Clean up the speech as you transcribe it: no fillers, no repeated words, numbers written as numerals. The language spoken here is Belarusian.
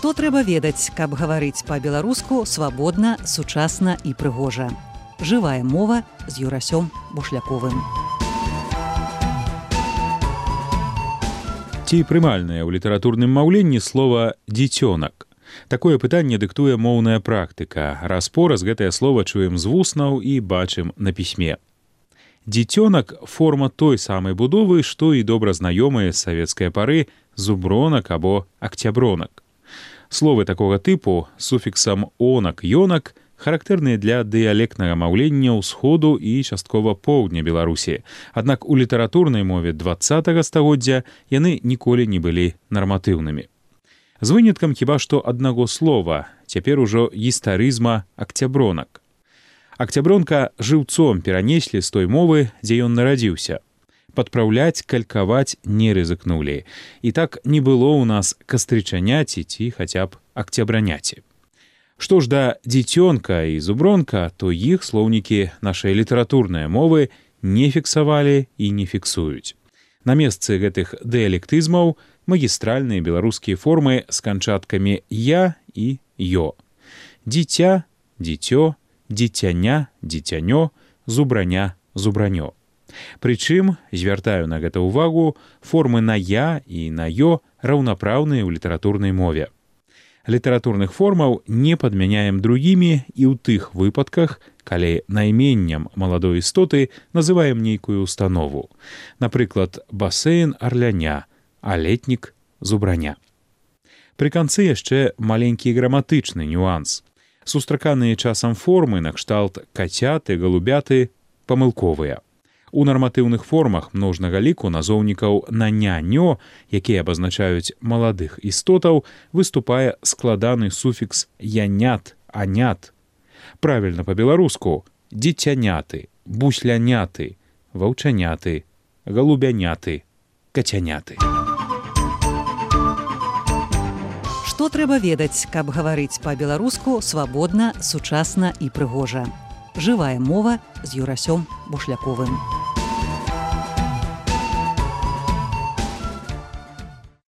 Што трэба ведаць, каб гаварыць па-беларуску свабодна, сучасна і прыгожа. Жывая мова з Юрасём Бушляковым. Ці прымальнае ў літаратурным маўленні слова «дзіцёнак». Такое пытанне дыктуе моўная практыка. Раз-пораз гэтае слова чуем з вуснаў і бачым на пісьме. Дзіцёнак – форма той самай будовы, што і добра знаёмыя з савецкай пары зубронак або акцябронак. Словы такога тыпу з суфіксам «онак», характэрныя для дыялектнага маўлення ўсходу і часткова поўдня Беларусі. Аднак у літаратурнай мове 20-го стагоддзя яны ніколі не былі нарматыўнымі. З выняткам хіба што аднаго слова, цяпер ужо гістарызма акцябронак. Акцябронка жыўцом перанеслі з той мовы, дзе ён нарадзіўся. Падпраўляць, калькаваць не рызыкнулі. І так не было ў нас кастрычаняці ці хаця б акцябраняці. Што ж да дзіцёнка і зубронка, то іх слоўнікі нашай літаратурнай мовы не фіксавалі і не фіксуюць. На месцы гэтых дыялектызмаў магістральныя беларускія формы з канчаткамі «я» і «ё». Дзіця, дзіцё, дзіцяня, дзіцянё, зубраня, зубранё. Прычым, звяртаю на гэта ўвагу, формы на «я» і на «ё» раўнапраўныя ў літаратурнай мове. Літаратурных формаў не падмяняем другімі і ў тых выпадках, калі найменнем маладой істоты называем нейкую установу. Напрыклад, басейн арляня, а летнік зубраня. Пры канцы яшчэ маленькі граматычны нюанс. Сустраканыя часам формы накшталт кацяты, галубяты памылковыя. У нарматыўных формах множнага ліку назоўнікаў на «ня-нё», якія абазначаюць маладых істотаў, выступае складаны суфікс «янят», «анят». Правільна па-беларуску «дзіцяняты», «бусляняты», «ваўчаняты», «галубяняты», «кацяняты». Што трэба ведаць, каб гаварыць па-беларуску свабодна, сучасна і прыгожа. Жывая мова з Юрасём Бушляковым.